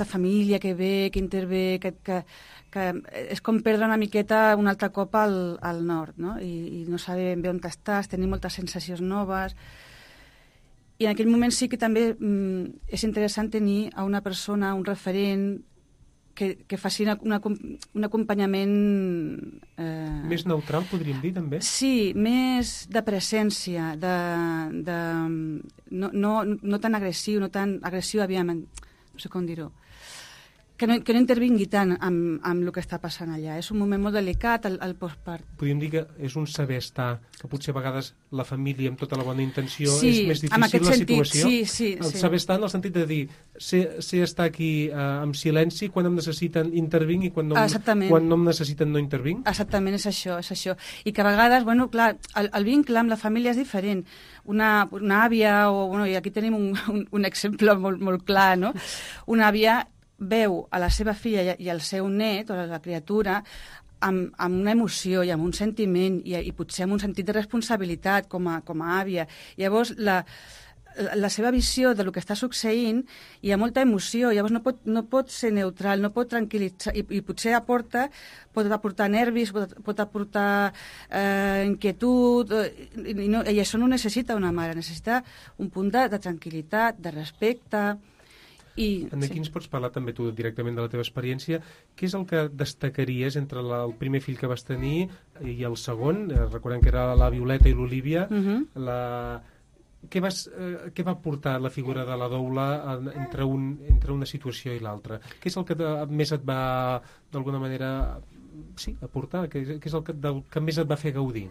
família que ve, que intervé, que és com perdre una miqueta un altre cop al nord, no? I no saber ben bé on estàs, tenir moltes sensacions noves. I en aquell moment sí que també és interessant tenir a una persona, un referent, que faci un acompanyament... Més neutral, podríem dir, també? Sí, més de presència, no tan agressiu, no sé com dir-ho, que no intervingui tant amb el que està passant allà. És un moment molt delicat, el postpart. Podríem dir que és un saber estar, que potser a vegades la família, amb tota la bona intenció, sí, és més difícil la situació. Sí. Saber estar en el sentit de dir, sé estar aquí amb silenci, quan em necessiten intervinc i quan no em necessiten no intervinc. Exactament, és això. I que a vegades, bueno, clar, el vincle amb la família és diferent. Una àvia, i aquí tenim un exemple molt clar, no? Una àvia veu a la seva filla i al seu net, o a la criatura, amb una emoció i amb un sentiment i potser amb un sentit de responsabilitat com a àvia. Llavors, la seva visió del que està succeint hi ha molta emoció, llavors no pot ser neutral, no pot tranquil·litzar, i potser pot aportar nervis, pot aportar inquietud, i això no necessita una mare, necessita un punt de tranquil·litat, de respecte. Aquí ens pots parlar també tu directament de la teva experiència. Què és el que destacaries entre el primer fill que vas tenir i el segon? Recordem que era la Violeta i l'Olívia. Què va portar la figura de la doula entre una situació i l'altra? Què és el que més et va, d'alguna manera, aportar? Què és el que més et va fer gaudir?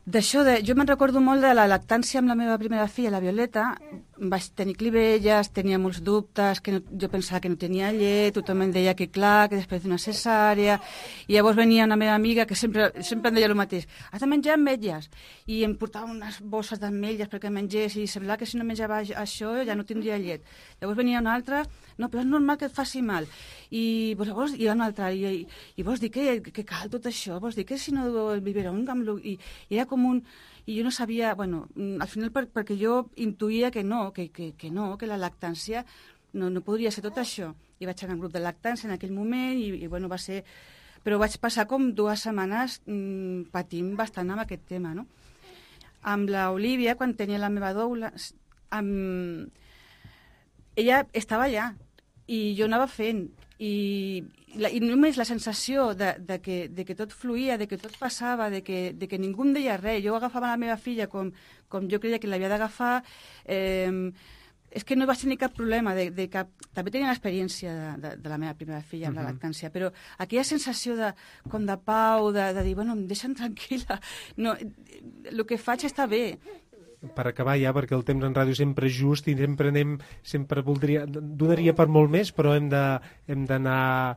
Jo me'n recordo molt de la lactància amb la meva primera filla, la Violeta. Vaig tenir clivelles, tenia molts dubtes, jo pensava que no tenia llet, tothom em deia que clar, que després d'una cesària, i llavors venia una meva amiga que sempre em deia el mateix: has de menjar ametlles, i em portava unes bosses d'ametlles perquè mengés, i semblava que si no menjava això ja no tindria llet. Llavors venia una altra: no, però és normal que et faci mal. I llavors hi ha una altra, i vols dir que cal tot això? Vols dir que si no el biberó i era com i jo no sabia, al final perquè jo intuïa que la lactància no podria ser tot això. I vaig anar al grup de lactància en aquell moment i va ser... Però vaig passar com 2 setmanes patint bastant amb aquest tema, no? Amb l'Olívia, quan tenia la meva doula, ella estava allà i jo anava fent, i només la sensació de que tot fluïa, de que tot passava, de que ningú em deia res. Jo agafava la meva filla com jo creia que l'havia d'agafar, és que no vaig tenir cap problema de cap... També tenia l'experiència de la meva primera filla amb la lactància, però aquella sensació com de pau, de dir, bueno, em deixen tranquil·la. No, el que faig està bé. Per acabar ja, perquè el temps en ràdio sempre és just i sempre donaria per molt més, però hem d'anar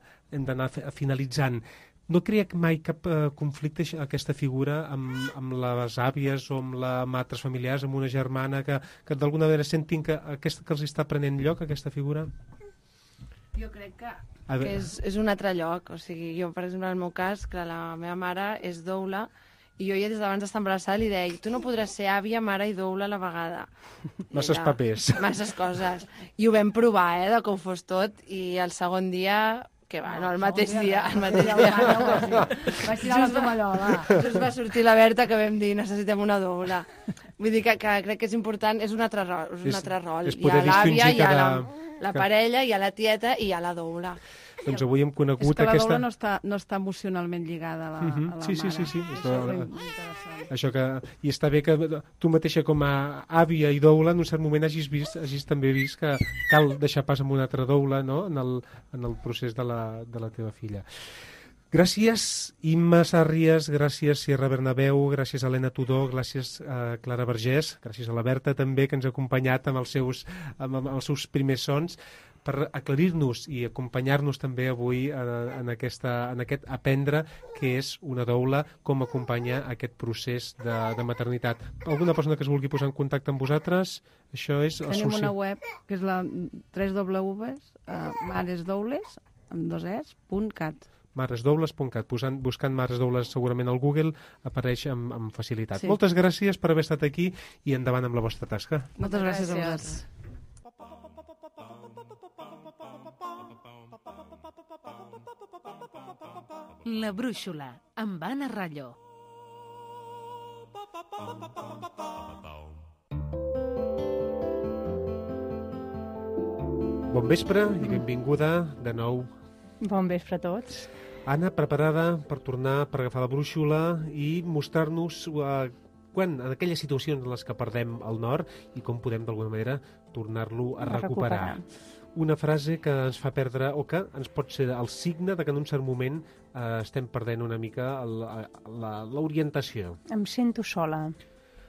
finalitzant. No crea mai cap conflicte aquesta figura amb les àvies o amb altres familiars, amb una germana, que d'alguna manera sentin que els està prenent lloc, aquesta figura? Jo crec que és un altre lloc. O sigui, jo, per exemple, en el meu cas, que la meva mare és doula, i jo ja des d'abans d'estar embarassada li deia, tu no podràs ser àvia, mare i doula a la vegada. Masses papers. Masses coses. I ho vam provar, de com fos tot, i el segon dia... que va, no, el mateix dia. Vaig tirar la tovallola. Just va sortir la Berta que vam dir necessitem una doula. Vull dir que crec que és important, és un altre rol. Hi ha l'àvia, hi ha la parella, hi ha la tieta i hi ha la doula. Doncs avui hem conegut aquesta... És que la doula no està emocionalment lligada a la mare. Sí. Això que... I està bé que tu mateixa com a àvia i doula en un cert moment hagis també vist que cal deixar pas amb una altra doula, no?, en el procés de la teva filla. Gràcies, Imma Sàrries, gràcies, Sierra Bernabéu, gràcies, Helena Tudó, gràcies, Clara Vergés, gràcies a la Berta també, que ens ha acompanyat amb els seus primers sons, per aclarir-nos i acompanyar-nos també avui en aquest aprendre que és una doula, com acompanya aquest procés de maternitat. Alguna persona que es vulgui posar en contacte amb vosaltres? Això és... Tenim una web que és la www.maresdoules.cat. maresdoules.cat. Buscant Mares Doules segurament al Google apareix amb facilitat. Sí. Moltes gràcies per haver estat aquí i endavant amb la vostra tasca. Moltes gràcies a vosaltres. La Brúixola, amb Anna Rallo. Bon vespre i benvinguda de nou. Bon vespre a tots. Anna, preparada per tornar, per agafar la brúixola i mostrar-nos en aquelles situacions en les que perdem el nord i com podem d'alguna manera tornar-lo a recuperar. Una frase que ens fa perdre, o que ens pot ser el signe de que en un cert moment estem perdent una mica l'orientació. Em sento sola.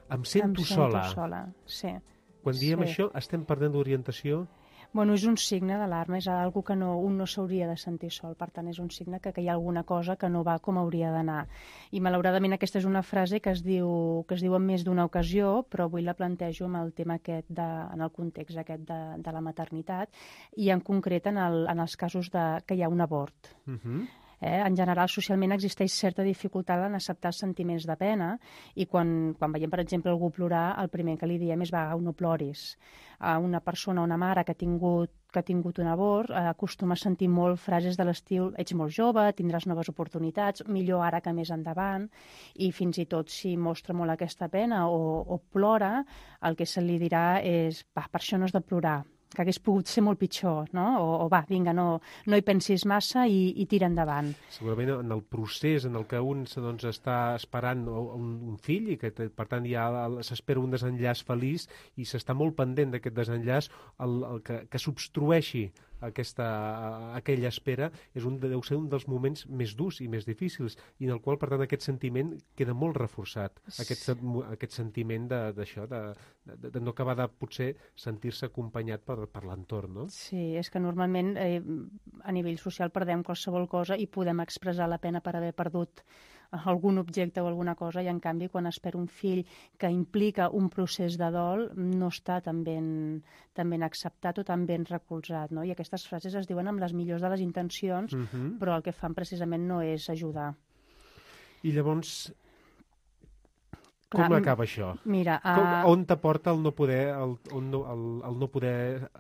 Em sento sola. Sí. Quan diem això, estem perdent l'orientació? Bueno, és un signe d'alarma, és algo que un no s'hauria de sentir sol, per tant és un signe que hi ha alguna cosa que no va com hauria d'anar. I malauradament aquesta és una frase que es diu en més d'una ocasió, però avui la plantejo amb el tema aquest, en el context aquest de la maternitat, i en concret en els casos que hi ha un abort. En general, socialment existeix certa dificultat en acceptar els sentiments de pena i quan veiem, per exemple, algú plorar, el primer que li diem és va, no ploris. Una persona, una mare que ha tingut un abort acostuma a sentir molt frases de l'estil ets molt jove, tindràs noves oportunitats, millor ara que més endavant, i fins i tot si mostra molt aquesta pena o plora, el que se li dirà és va, per això no has de plorar, que hagués pogut ser molt pitjor, no? O va, vinga, no hi pensis massa i tira endavant. Segurament en el procés en el que un està esperant un fill i que, per tant, ja s'espera un desenllaç feliç i s'està molt pendent d'aquest desenllaç, el que s'obstrueixi aquella espera deu ser un dels moments més durs i més difícils i en el qual, per tant, aquest sentiment queda molt reforçat. Aquest sentiment d'això, de no acabar de potser sentir-se acompanyat per l'entorn, no? Sí, és que normalment a nivell social perdem qualsevol cosa i podem expressar la pena per haver perdut algun objecte o alguna cosa i en canvi quan es perd un fill que implica un procés de dol no està tan ben acceptat o tan ben recolzat, no? I aquestes frases es diuen amb les millors de les intencions però el que fan precisament no és ajudar. I llavors, com acaba això? Mira, on t'aporta el no poder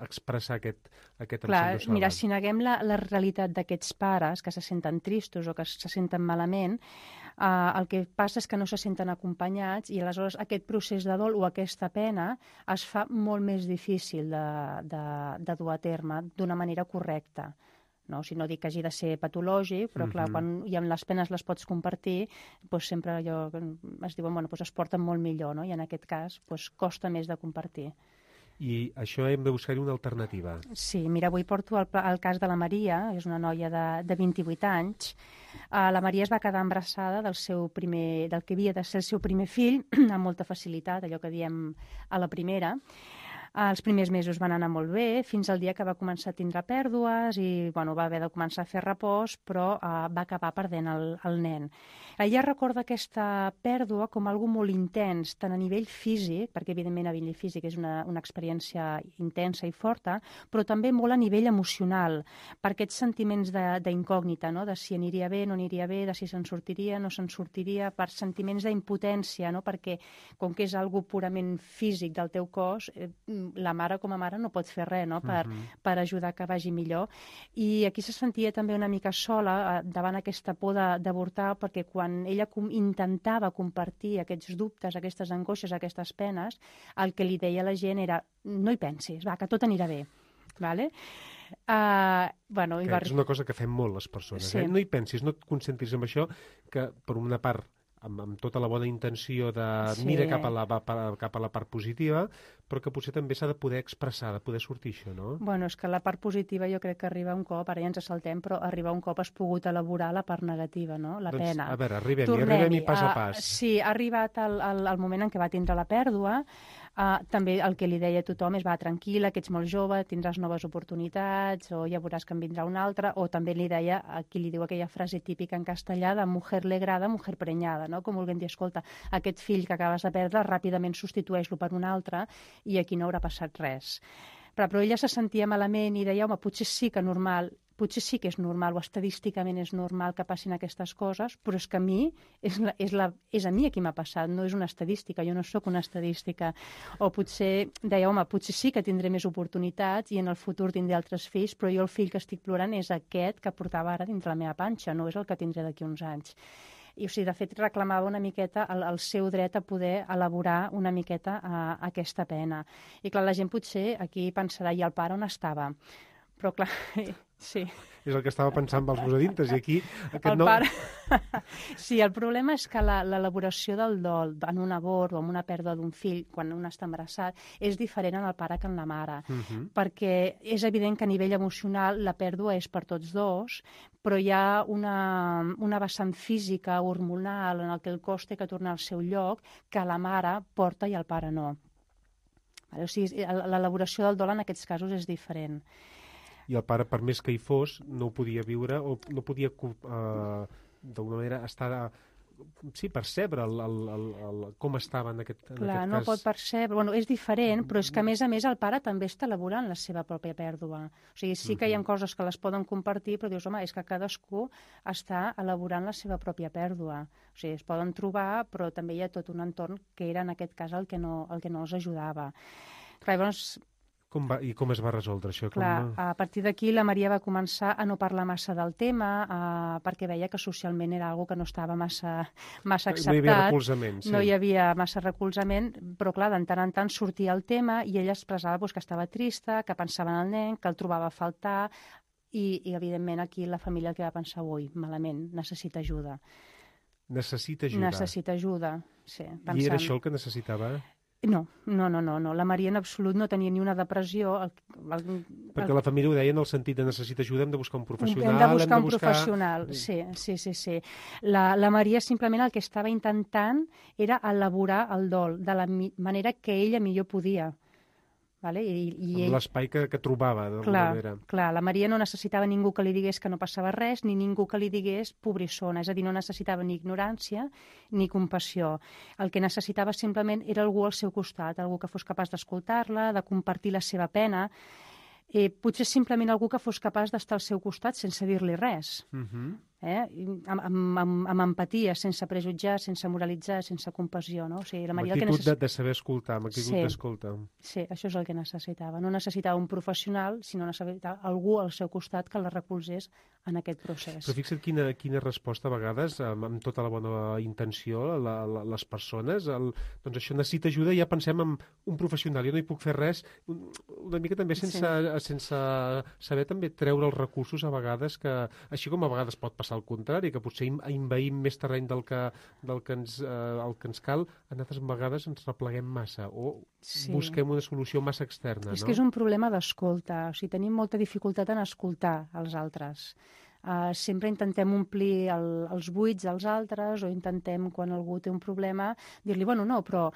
expressar aquest em sento sola? Mira, si neguem la realitat d'aquests pares que se senten tristos o que se senten malament, el que passa és que no se senten acompanyats i aleshores aquest procés de dol o aquesta pena es fa molt més difícil de dur a terme d'una manera correcta. No? O sigui, no dic que hagi de ser patològic, però clar, quan les penes les pots compartir, doncs sempre es diuen, es porten molt millor, no? I en aquest cas costa més de compartir. I això hem de buscar-hi una alternativa. Sí, mira, avui porto el cas de la Maria, és una noia de 28 anys. La Maria es va quedar embarassada del que havia de ser el seu primer fill, amb molta facilitat, allò que diem a la primera. Els primers mesos van anar molt bé, fins al dia que va començar a tindre pèrdues i va haver de començar a fer repòs, però va acabar perdent el nen. Ella recorda aquesta pèrdua com algo molt intens, tant a nivell físic, perquè evidentment a nivell físic és una experiència intensa i forta, però també molt a nivell emocional, per aquests sentiments d'incògnita, no? De si aniria bé, no aniria bé, de si se'n sortiria, no se'n sortiria, per sentiments d'impotència, no? Perquè com que és algo purament físic del teu cos, la mare com a mare no pot fer res, no? Per ajudar que vagi millor. I aquí se sentia també una mica sola davant aquesta por d'avortar, perquè quan ella intentava compartir aquests dubtes, aquestes angoixes, aquestes penes, el que li deia la gent era no hi pensis, va, que tot anirà bé. Vale? És una cosa que fem molt les persones. Sí. No hi pensis, no et concentris en això, que per una part amb tota la bona intenció de mira cap a la part positiva, però que potser també s'ha de poder expressar, de poder sortir això, no? Bueno, és que la part positiva jo crec que arriba un cop, ara ja ens saltem, però arriba un cop has pogut elaborar la part negativa, no? La pena. A veure, arribem-hi pas a pas. Sí, ha arribat el moment en què va tindre la pèrdua. També el que li deia a tothom és va, tranquil·la, que ets molt jove, tindràs noves oportunitats, o ja veuràs que en vindrà una altra, o també li deia, aquí li diu aquella frase típica en castellà de mujer legrada, mujer preñada, no? Com volguem dir, escolta, aquest fill que acabes de perdre, ràpidament substitueix-lo per un altre i aquí no haurà passat res. Però ella se sentia malament i deia, home, potser sí que és normal o estadísticament és normal que passin aquestes coses, però és que a mi és a mi a qui m'ha passat, no és una estadística, jo no sóc una estadística. O potser deia, home, potser sí que tindré més oportunitats i en el futur tindré altres fills, però jo el fill que estic plorant és aquest que portava ara dintre la meva panxa, no és el que tindré d'aquí uns anys. I, o sigui, de fet, reclamava una miqueta el seu dret a poder elaborar una miqueta aquesta pena. I, clar, la gent potser aquí pensarà, i el pare on estava? Però, clar, sí. És el que estava pensant amb els meus i aquí aquest no... Pare... Sí, el problema és que l'elaboració del dol en un abort o en una pèrdua d'un fill, quan un està embarassat, és diferent en el pare que en la mare. Perquè és evident que a nivell emocional la pèrdua és per tots dos, però hi ha una vessant física, hormonal, en el que el cos té que tornar al seu lloc, que la mare porta i el pare no. O sigui, l'elaboració del dol en aquests casos és diferent. I el pare, per més que hi fos, no ho podia viure o no podia, d'alguna manera, percebre com estava en aquest cas. Clar, no pot percebre. Bueno, és diferent, però és que, a més, el pare també està elaborant la seva pròpia pèrdua. O sigui, sí que hi ha coses que les poden compartir, però dius, home, és que cadascú està elaborant la seva pròpia pèrdua. O sigui, es poden trobar, però també hi ha tot un entorn que era, en aquest cas, el que no els ajudava. Clar, llavors... I com es va resoldre això? Clar, a partir d'aquí la Maria va començar a no parlar massa del tema perquè veia que socialment era algo que no estava massa acceptat. No hi havia recolzament. Sí. No hi havia massa recolzament, però clar, de tant en tant sortia el tema i ella expressava que estava trista, que pensava en el nen, que el trobava a faltar i evidentment aquí la família el que va pensar, ui, malament, necessita ajuda. Necessita ajuda. Necessita ajuda, sí. Pensant... I era això el que necessitava? No. La Maria en absolut no tenia ni una depressió. Perquè la família ho deia en el sentit de necessita ajuda, hem de buscar un professional. Hem de buscar un professional, sí. La Maria simplement el que estava intentant era elaborar el dol de la manera que ella millor podia. Vale? Amb l'espai que trobava, d'alguna manera. Clar, la Maria no necessitava ningú que li digués que no passava res, ni ningú que li digués pobrissona, és a dir, no necessitava ni ignorància ni compassió. El que necessitava simplement era algú al seu costat, algú que fos capaç d'escoltar-la, de compartir la seva pena, potser simplement algú que fos capaç d'estar al seu costat sense dir-li res. Amb empatia, sense prejutjar, sense moralitzar, sense compassió, no? O sigui, la Maria amb actitud de saber escoltar, amb actitud d'escolta. Sí, això és el que necessitava. No necessitava un professional, sinó necessitava algú al seu costat que la recolzés en aquest procés. Però fixa't quina resposta a vegades, amb tota la bona intenció, les persones, doncs això necessita ajuda, ja pensem en un professional, jo no hi puc fer res, una mica també sense saber també treure els recursos a vegades, que així com a vegades pot passar al contrari, que potser envaïm més terreny el que ens cal, en altres vegades ens repleguem massa o busquem una solució massa externa. És que és un problema d'escolta, o sigui, tenim molta dificultat en escoltar els altres. Sempre intentem omplir els buits dels altres o intentem, quan algú té un problema, dir-li, bueno, no, però...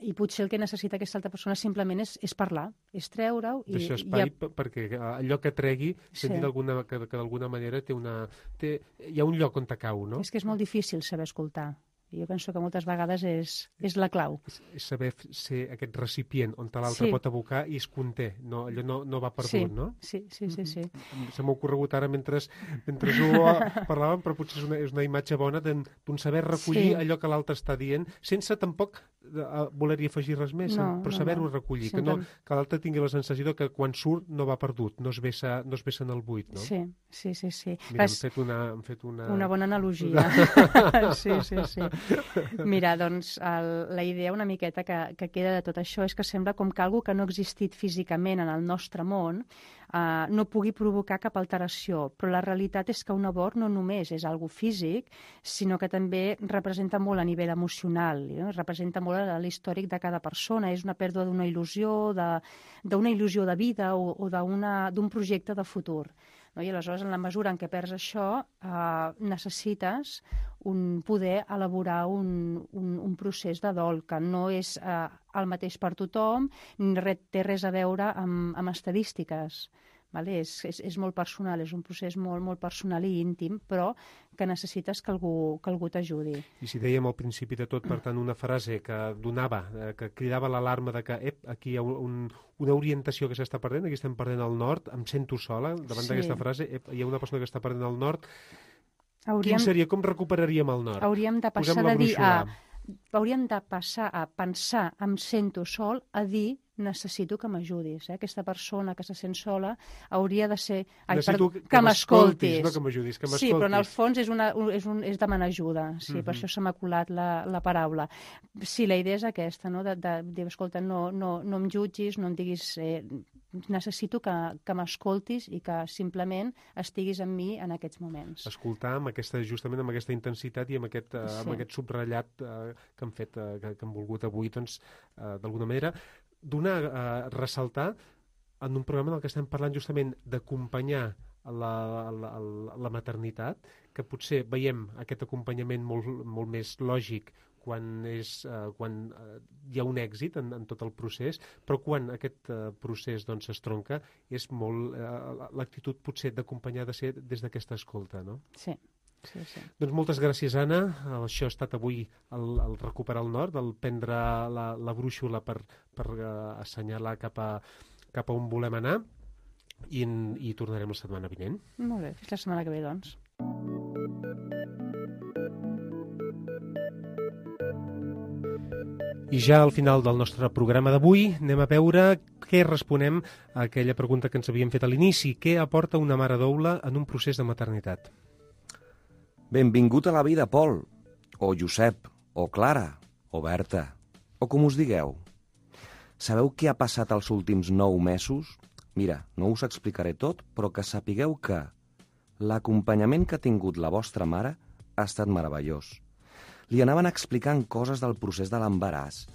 I potser el que necessita aquesta altra persona simplement és parlar, és treure-ho... Deixar espai perquè allò que tregui, sentir que d'alguna manera hi ha un lloc on te cau, no? És que és molt difícil saber escoltar. Jo penso que moltes vegades és la clau. És saber ser aquest recipient on l'altre pot abocar i es conté. No, allò no va perdut, no? Sí. Se m'ha ocorregut ara mentre ho parlàvem, però potser és una imatge bona d'un saber recollir allò que l'altre està dient, sense tampoc voler-hi afegir res més, però saber-ho recollir, que l'altre tingui la sensació que quan surt no va perdut, no es vessa en el buit, no? Sí. Mira, hem fet una bona analogia. Sí. Mira, doncs, la idea una miqueta que queda de tot això és que sembla com que algú que no ha existit físicament en el nostre món no pugui provocar cap alteració, però la realitat és que un abort no només és algo físic, sinó que també representa molt a nivell emocional, representa molt l'històric de cada persona, és una pèrdua d'una il·lusió, d'una il·lusió de vida o d'un projecte de futur. I aleshores, en la mesura en què perds això, necessites poder elaborar un procés de dol que no és el mateix per tothom, ni té res a veure amb estadístiques. És molt personal, és un procés molt personal i íntim, però que necessites que algú t'ajudi. I si dèiem al principi de tot, per tant, una frase que que cridava l'alarma de que aquí hi ha una orientació que s'està perdent, aquí estem perdent el nord, em sento sola, davant d'aquesta frase, hi ha una persona que està perdent el nord, quin seria, com recuperaríem el nord? Hauríem de passar a pensar em sento sol a dir necessito que m'ajudis. Aquesta persona que se sent sola hauria de ser... que m'escoltis. No que m'ajudis, que m'escoltis. Sí, però en el fons és demanar ajuda. Sí, per això s'ha m'ha colat la paraula. Sí, la idea és aquesta, no? De dir, escolta, no em jutgis, no em diguis... necessito que m'escoltis i que simplement estiguis amb mi en aquests moments. Escoltar justament amb aquesta intensitat i amb aquest subratllat que han fet, que han volgut avui, doncs, d'alguna manera, ressaltar en un programa en el que estem parlant justament d'acompanyar la maternitat, que potser veiem aquest acompanyament molt més lògic quan hi ha un èxit en tot el procés, però quan aquest procés es tronca, és molt l'actitud potser d'acompanyar de ser des d'aquesta escolta, no? Sí. Doncs moltes gràcies, Anna. Això ha estat avui el recuperar el nord, el prendre la brúixola per assenyalar cap a on volem anar, i tornarem la setmana vinent. Molt bé, fins la setmana que ve, doncs. I ja al final del nostre programa d'avui anem a veure què responem a aquella pregunta que ens havíem fet a l'inici. Què aporta una mare doula en un procés de maternitat? Benvingut a la vida, Pol, o Josep, o Clara, o Berta, o com us digueu. Sabeu què ha passat els últims 9 mesos? Mira, no us explicaré tot, però que sapigueu que l'acompanyament que ha tingut la vostra mare ha estat meravellós. Li anaven explicant coses del procés de l'embaràs,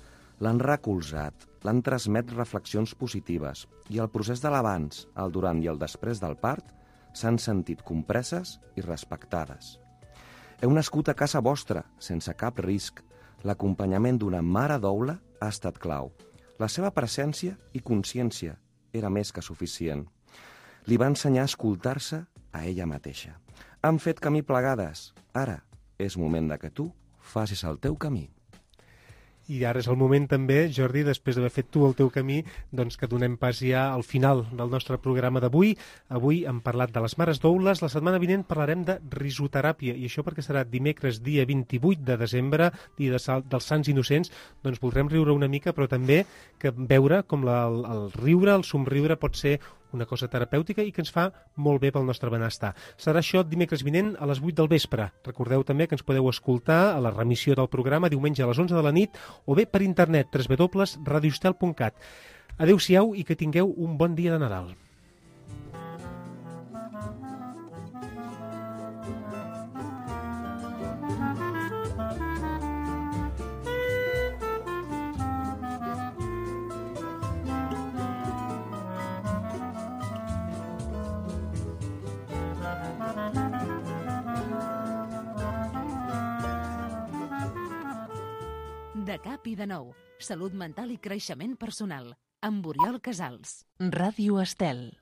l'han recolzat, l'han transmet reflexions positives i el procés de l'abans, el durant i el després del part s'han sentit compreses i respectades. Heu nascut a casa vostra, sense cap risc. L'acompanyament d'una mare doula ha estat clau. La seva presència i consciència era més que suficient. Li va ensenyar a escoltar-se a ella mateixa. Han fet camí plegades. Ara és moment de que tu facis el teu camí. I ara és el moment també, Jordi, després d'haver fet tu el teu camí, doncs que donem pas ja al final del nostre programa d'avui. Avui hem parlat de les mares doules, la setmana vinent parlarem de risoteràpia, i això perquè serà dimecres, dia 28 de desembre, dia dels Sants Innocents, doncs voldrem riure una mica, però també que veure com el riure, el somriure pot ser una cosa terapèutica i que ens fa molt bé pel nostre benestar. Serà això dimecres vinent a les 8 del vespre. Recordeu també que ens podeu escoltar a la remissió del programa diumenge a les 11 de la nit o bé per internet www.radiostel.cat. Adéu-siau i que tingueu un bon dia de Nadal. De cap i de nou. Salut mental i creixement personal. Amb Oriol Casals. Ràdio Estel.